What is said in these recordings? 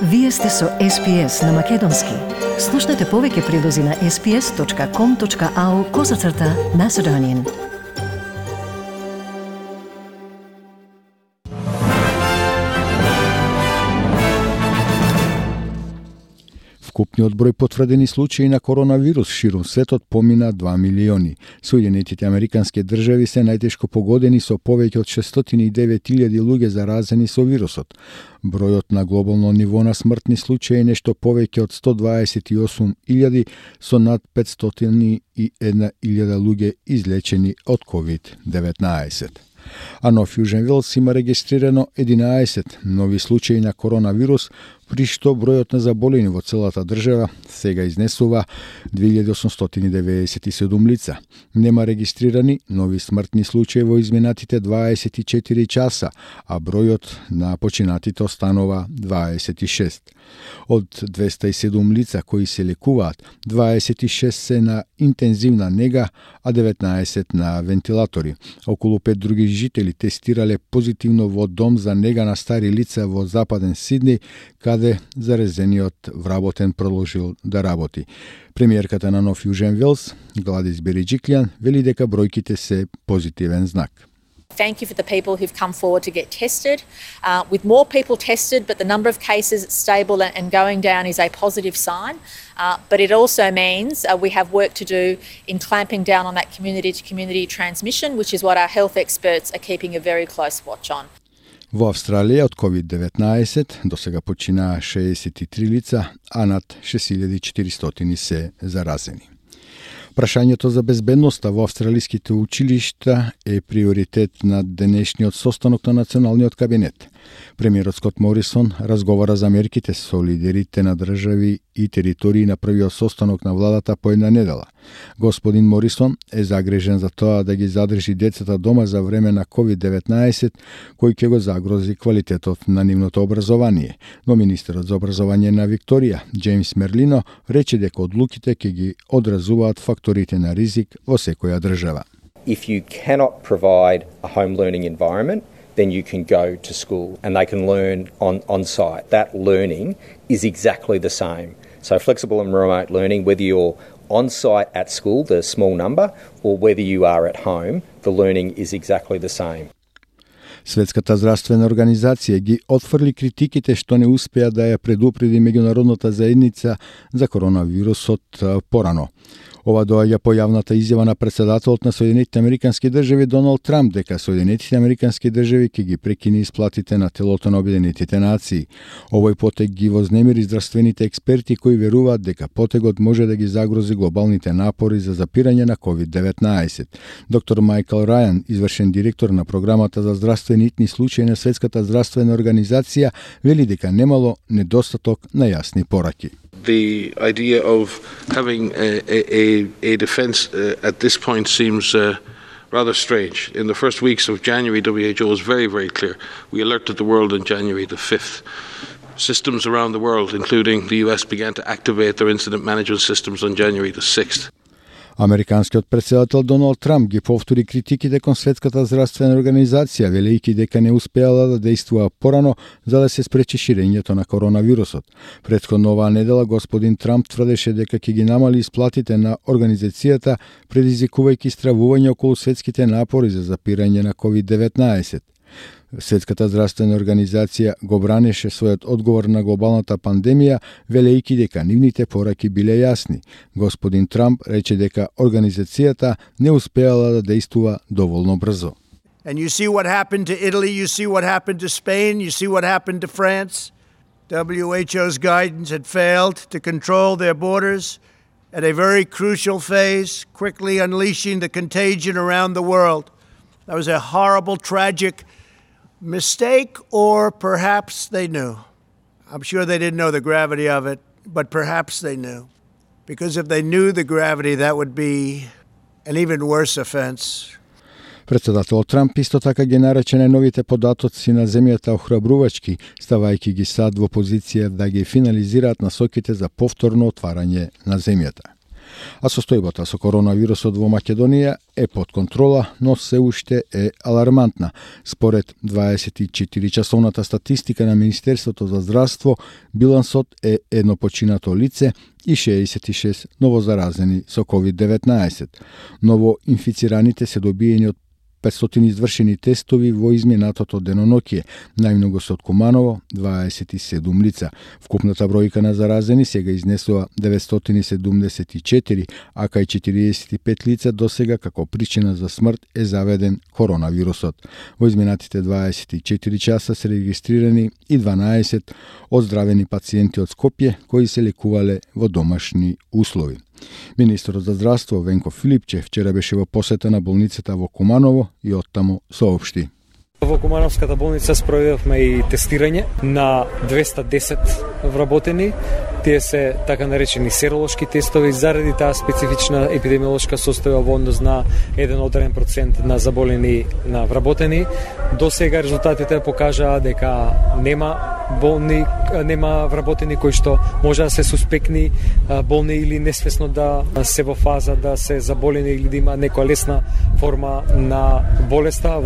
Вие сте со SPS на Македонски. Слушнете повеќе прилози на sps.com.au/Macedonian. Вкупниот број потврдени случаи на коронавирус ширум светот помина 2 милиони. Соединетите Американски држави се најтешко погодени со повеќе од 609.000 луѓе заразени со вирусот. Бројот на глобално ниво на смртни случаи е нешто повеќе од 128.000 со над 501.000 луѓе излечени од COVID-19. А Нов Јужен Велс има регистрирано 11 нови случаи на коронавирус, при што бројот на заболени во целата држава сега изнесува 2897 лица. Нема регистрирани нови смртни случаи во изминатите 24 часа, а бројот на починатите останува 26. Од 207 лица кои се лекуваат, 26 се на интензивна нега, а 19 на вентилатори. Околу 5 други жители тестирале позитивно во дом за нега на стари лица во Западен Сидни, каде заразениот вработен продолжил да работи. Премиерката на Нов Јужен Велс, Гладис Бериџиклјан, вели дека бројките се позитивен знак. Thank you for the people who've come forward to get tested. With more people tested, but the number of cases stable and going down is a positive sign. But it also means we have work to do in clamping down on that community-to-community transmission, which is what our health experts are keeping a very close watch on. Во Австралија од COVID-19 до сега починаа 63 лица, а над 6400 се заразени. Прашањето за безбедноста во австралиските училишта е приоритет на денешниот состанок на Националниот кабинет. Премиерот Скот Морисон разговара за мерките со лидерите на држави и територии на првиот состанок на владата по една недела. Господин Морисон е загрижен за тоа да ги задржи децата дома за време на COVID-19, кој ќе го загрози квалитетот на нивното образование. Но министерот за образование на Викторија, Джеймс Мерлино, рече дека одлуките ќе ги одразуваат факторите на ризик во секоја држава. If you cannot provide a home learning environment, then you can go to school and they can learn on site. That learning is exactly the same. So flexible and remote learning, whether you're on site at school, the small number, or whether you are at home, the learning is exactly the same. Светската здравствена организација ги отфрли критиките што не успеа да ја предупреди меѓународната заедница за коронавирусот порано. Ова доаѓа по јавната изјава на председателот на Соединетите Американски држави Доналд Трамп дека Соединетите Американски држави ќе ги прекини исплатите на телото на Обединетите нации. Овој потег ги вознемири здравствените експерти кои веруваат дека потегот може да ги загрози глобалните напори за запирање на COVID-19. Доктор Майкл Рајан, извршен директор на програмата за здравствени итни случаи на Светската здравствена организација, вели дека немало недостаток на јасни пораки. The idea of having a defence at this point seems rather strange. In the first weeks of January, WHO was very, very clear. We alerted the world on January the 5th. Systems around the world, including the US, began to activate their incident management systems on January the 6th. Американскиот председател Доналд Трамп ги повтори критиките кон Светската здравствена организација, велејќи дека не успеала да действува порано за да се спречи ширењето на коронавирусот. Претходно оваа недела господин Трамп тврдеше дека ќе ги намали исплатите на организацијата, предизвикувајќи стравување околу светските напори за запирање на COVID-19. Светската здравствена организација го бранеше својот одговор на глобалната пандемија, велејќи дека нивните пораки биле јасни. Господин Трамп рече дека организацијата не успеала да действува доволно брзо. And you see what happened to Italy, you see what happened to Spain, you see what happened to France. WHO's guidance had failed to control their borders at a very crucial phase, quickly unleashing the contagion around the world. That was a horrible, tragic mistake, or perhaps they knew. I'm sure they didn't know the gravity of it, but perhaps they knew. Because if they knew the gravity, that would be an even worse offense. Председателот Трамп исто така ги нарече најновите податоци на земјата охрабрувачки, ставајќи ги САД во позиција да ги финализираат насоките за повторно отварање на земјата. А состојбата со коронавирусот во Македонија е под контрола, но се уште е алармантна. Според 24-часовната статистика на Министерството за здравство, билансот е едно починато лице и 66 новозаразени со COVID-19. Новоинфицираните се добиени од 500 извршени тестови во изминатото деноноќие, најмногу се од Куманово, 27 лица. Вкупната бројка на заразени сега изнесува 974, а кај 45 лица досега како причина за смрт е заведен коронавирусот. Во изминатите 24 часа се регистрирани и 12 оздравени пациенти од Скопје кои се лекувале во домашни услови. Министерот за здравство Венко Филипче вчера беше во посета на болницата во Куманово и оттаму соопшти. Во Кумановската болница спроведовме и тестирање на 210 вработени. Тие се така наречени серолошки тестови заради таа специфична епидемиолошка состојба во однос на еден одреден процент на заболени на вработени. До сега резултатите покажаа дека нема вработени кои што може да се суспектни болни или несвесно да се во фаза да се заболени или да има некоја лесна форма на болеста.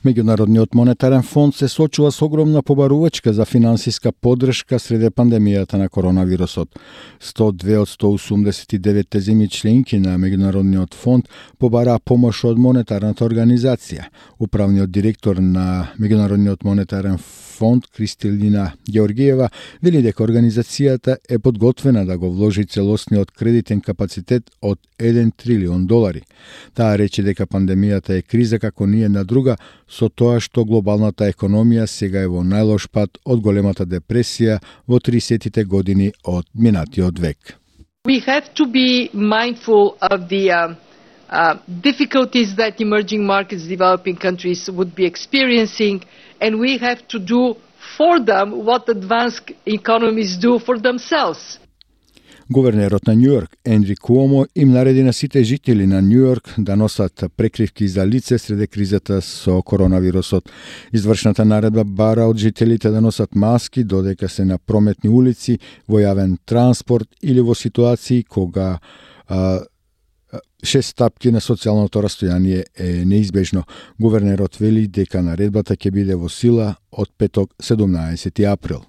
Меѓународниот монетарен фонд се соочува со огромна побарувачка за финансиска поддршка среде пандемијата на коронавирусот. 102 од 189 земји членки на Меѓународниот фонд побараа помош од монетарната организација. Управниот директор на Меѓународниот монетарен фонд Кристалина Георгиева вели дека организацијата е подготвена да го вложи целосниот кредитен капацитет од $1 трилион. Таа рече дека пандемијата е криза како ни една друга, со тоа што глобалната економија сега е во најлош пат од големата депресија во 30-тите години од минатиот век. We have to be mindful of the difficulties that emerging markets, developing countries would be experiencing, and we have to do for them what advanced economies do for themselves. Гувернерот на Њујорк, Ендри Куомо, им нареди на сите жители на Њујорк да носат прекривки за лице среде кризата со коронавирусот. Извршната наредба бара од жителите да носат маски додека се на прометни улици, во јавен транспорт или во ситуации кога 6 стапки на социјалното растојание е неизбежно. Гувернерот вели дека наредбата ќе биде во сила од петок 17 април.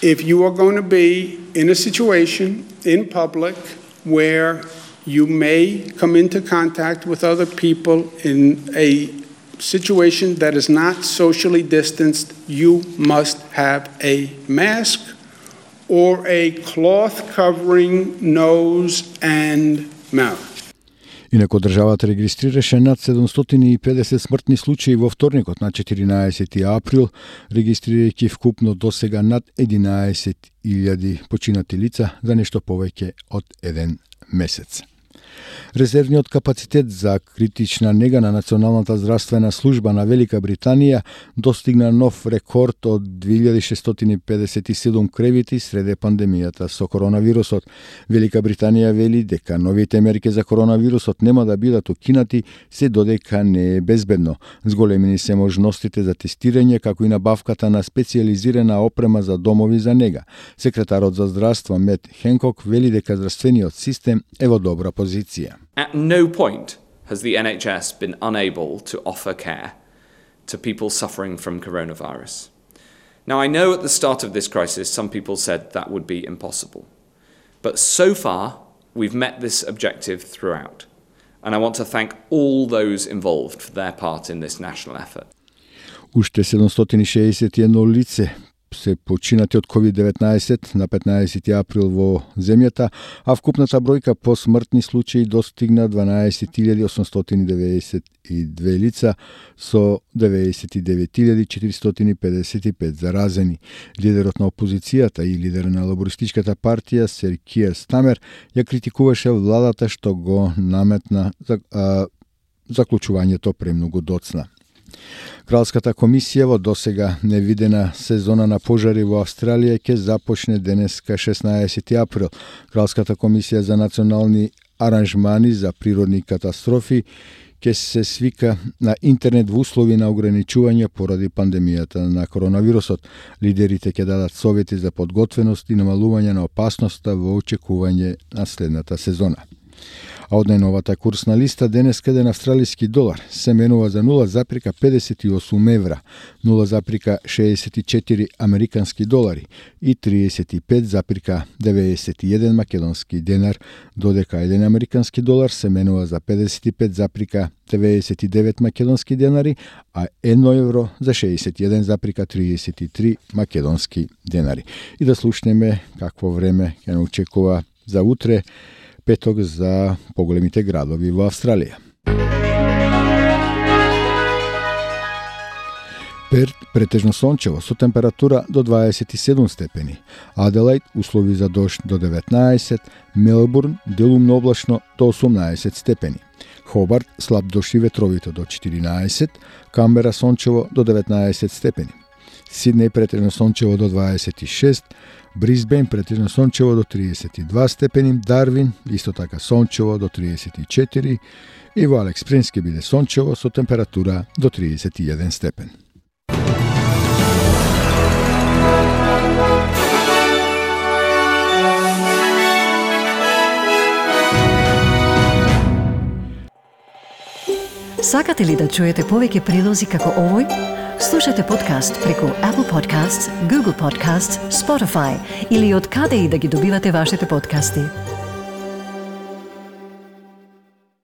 If you are going to be in a situation in public where you may come into contact with other people in a situation that is not socially distanced, you must have a mask or a cloth covering nose and mouth. Инаку државата регистрираше над 750 смртни случаи во вторникот на 14 април, регистрирајќи вкупно досега над 11.000 починати лица за нешто повеќе од еден месец. Резервниот капацитет за критична нега на Националната здравствена служба на Велика Британија достигна нов рекорд од 2657 кревити среде пандемијата со коронавирусот. Велика Британија вели дека новите мерки за коронавирусот нема да бидат укинати се додека не е безбедно. Зголемени се можностите за тестирање како и набавката на специјализирана опрема за домови за нега. Секретарот за здравство Мет Хенкок вели дека здравствениот систем е во добра позиција. At no point has the NHS been unable to offer care to people suffering from coronavirus. Now, I know at the start of this crisis, some people said that would be impossible. But so far, we've met this objective throughout. And I want to thank all those involved for their part in this national effort. Уште 761 лице се починати од COVID-19 на 15 април во земјата, а вкупната бројка по смртни случаи достигна 12.892 лица со 99.455 заразени. Лидерот на опозицијата и лидер на лабористичката партија Сер Киер Стамер ја критикуваше владата што го наметна заклучувањето премногу доцна. Кралската комисија во досега невидена сезона на пожари во Австралија ќе започне денеска 16 април. Кралската комисија за национални аранжмани за природни катастрофи ќе се свика на интернет во услови на ограничување поради пандемијата на коронавирусот. Лидерите ќе дадат совети за подготвеност и намалување на опасноста во очекување на следната сезона. А од најновата курсна листа денеска еден австралиски долар се менува за 0,58 евра, 0,64 американски долари и 35,91 македонски денар, додека еден американски долар се менува за 55,99 македонски денари, а 1 евро за 61,33 македонски денари. И да слушнеме какво време ќе не очекува за утре, петок, за поголемите градови во Австралија. Перт претежно сончево со температура до 27 степени. Аделаид услови за дожд до 19, Мелбурн делумно облачно до 18 степени. Хобарт слаб дожд и ветровито до 14, Камбера сончево до 19 степени. Сиднеј претежно сончево до 26, Брисбен претежно сончево до 32 степени, Дарвин исто така сончево до 34 и во Алекс Спрингс ќе биде сончево со температура до 31 степен. Сакате ли да чуете повеќе прилози како овој? Слушате подкаст преку Apple Podcasts, Google Podcasts, Spotify или од каде и да ги добивате вашите подкасти.